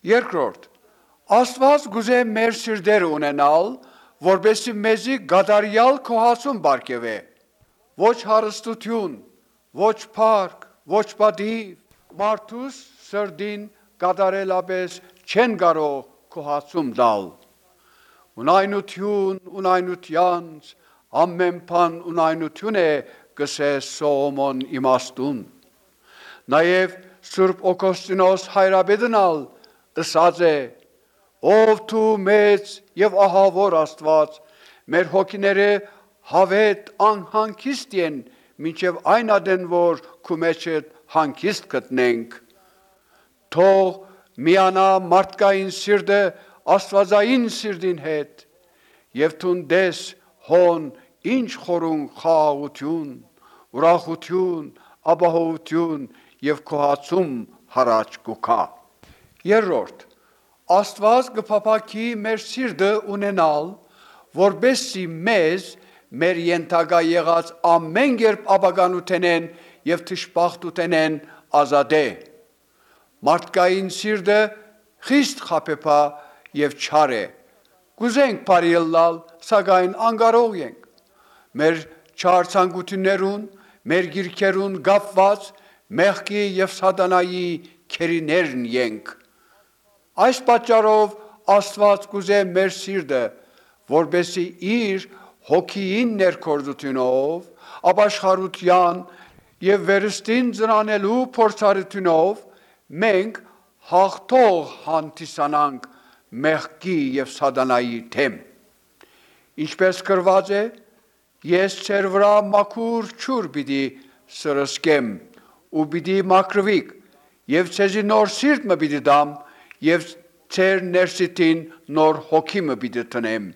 Երկրորդ, Աստված գուզե մեր սիրտերը ունենալ, որպեսզի մեզի գադարյալ քոհացում բարգեւե, ոչ հարստություն, ոչ փառք, ոչ պատիվ, մարդուս սրդին գադարելապես չեն կարող քոհացում տալ։ Ունայնություն, ունայնությանց, ամեն բան ունայնություն է, գսե Սողոմոն իմաստուն։ Նաև Սուրբ Օգոստինոս հայրաբեդնալ ըսած է. ով դու մեծ եւ ահավոր Աստված, մեր հոգիները հավետ անհանգիստ են, մինչև այն ադեն, որ քու մեջդ հանգիստ գտնենք։ Թող միանա մարդկային սիրտը աստվածային սիրտին հետ, եւ թունդես հոն ինչ խորուն խաղաղություն, ուրախություն, ապահովություն եւ քոհացում հարաճ կուքա։ Երրորդ, Աստված կփափակի մեր սիրտը ունենալ, որբեսի մեզ մեր ենթակա եղած ամեն կերպ ապականութենեն եւ թշպախտութենեն ազատե։ Մարդկային սիրտը խիստ խաբեբա եւ չար է։ Կուզենք բարիլալ, սակայն անկարող ենք։ Մեր չար ցանկություններուն, մեր գիրքերուն գապված մեղքի եւ սատանայի քերիներն ենք։ Այս պատճառով Աստված կուզե մեր սիրտը, որբեսի իր հոգիին ներքործությունով, ապաշխարության եւ վերստին ծնանելու փորձառությունով մենք հաղթող հանդիսանանք մեղքի եւ սատանայի դեմ։ Ինչպես գրված է, ես ձեր վրա մաքուր ջուր պիտի սրսկեմ ու պիտի մաքրվիք եւ ձեզի նոր սիրտ մը պիտի դամ եւ ձեր ներսիտին նոր հոգի մը պիտի տնեմ։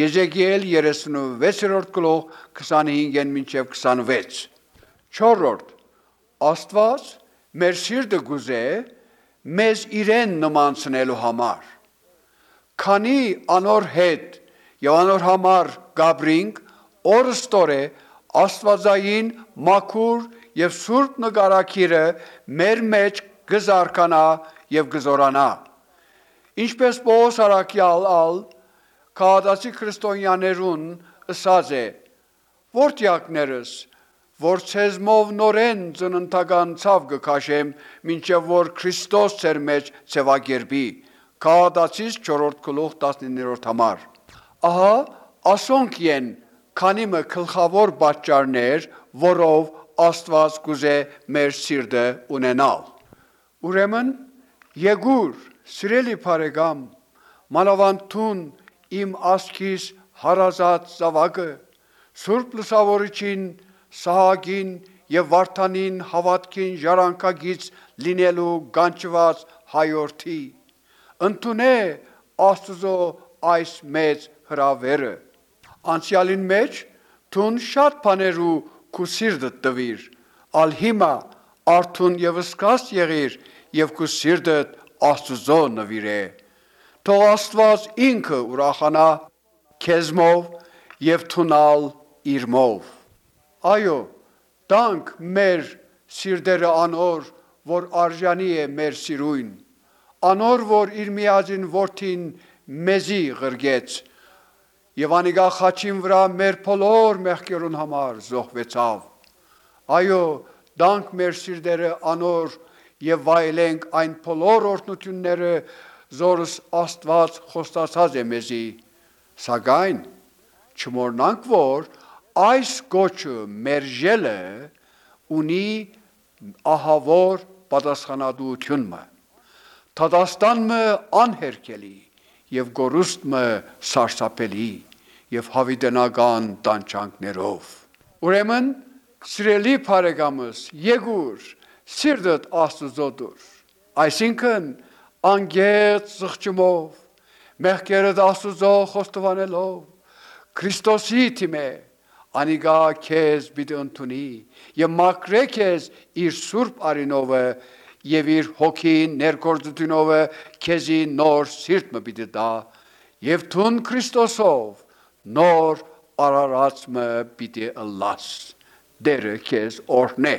Եզեկիել 36-րդ գլուխ 25-ն մինչև 26։ Չորրորդ, Աստված մեր սիրտը գուզե մեզ իրեն նմանցնելու համար։ Քանի անոր հետ եւ անոր համար գաբրինք, օրստորե Աստվածային մաքուր եւ սուրբ նկարակիրը մեր մեջ գզարկանա եւ գզորանա։ Ինչպես Պողոս առաքյալ քաղաքացի քրիստոնյաներուն ըսած է. Որդյակներս, որ ցեզմով նորեն ծննդական ցավ կքաշեմ, մինչև որ Քրիստոս ձեր մեջ ցևագերբի։ Քաղաքացիս 4-րդ գլուխ 19-րդ համար։ Ահա ասոնք են քանի մը գլխավոր պատճառներ, որով Աստված կուզե մեր սիրտը ունենալ։ Ուրեմն եկուր, սիրելի բարեկամ, մանավանդուն իմ ասքիս հարազատ զավակը, Սուրբ Լուսավորչին, Սահակին եւ Վարդանին հավատքին ժառանգագից լինելու գանչված հայորդի, ընդունե Աստծո այս մեծ հրավերը։ Անցյալին մեջ թուն շատ բաներու քու սիրտը տվիր, ալ հիմա արթուն եւ սկաց եղիր եւ քու սիրտը Աստծո նվիրե։ Թող Աստված ինքը ուրախանա քեզմով եւ թունալ իրմով։ Այո, տանք մեր սիրտերը անոր, որ արժանի է մեր սիրույն, անոր, որ իր միածին որդին մեզի ղրգեց եւ անիգա խաչին վրա մեր բոլոր մեղքերուն համար զոհվեցավ։ Այո, տանք մեր սիրտերը անոր եւ վայելենք այն բոլոր օրհնությունները, զորս Աստված խոստացած է մեզի, սակայն չմոռնանք, որ այս գոչը մերժելը ունի ահավոր պատասխանատվությունը, թադաստանը անհերքելի եւ գորուստը սարսափելի եւ հավիտենական տանջանքներով։ Ուրեմն, սիրելի բարեկամս, եկուր սիրտդ Աստծո դուր, այսինքն անգետ զղջումով, մեղքերդ Աստծո խոստովանելով, Քրիստոսի թիմե, անիգա քեզ պիտի ընդունի եւ մաքրե քեզ իր սուրբ արինովը եւ իր հոգի ներկործությունովը քեզի նոր սիրտ մը պիտի տա եւ թուն Քրիստոսով նոր արարած մը պիտի ըլլաս։ Դերը քեզ օրհնե։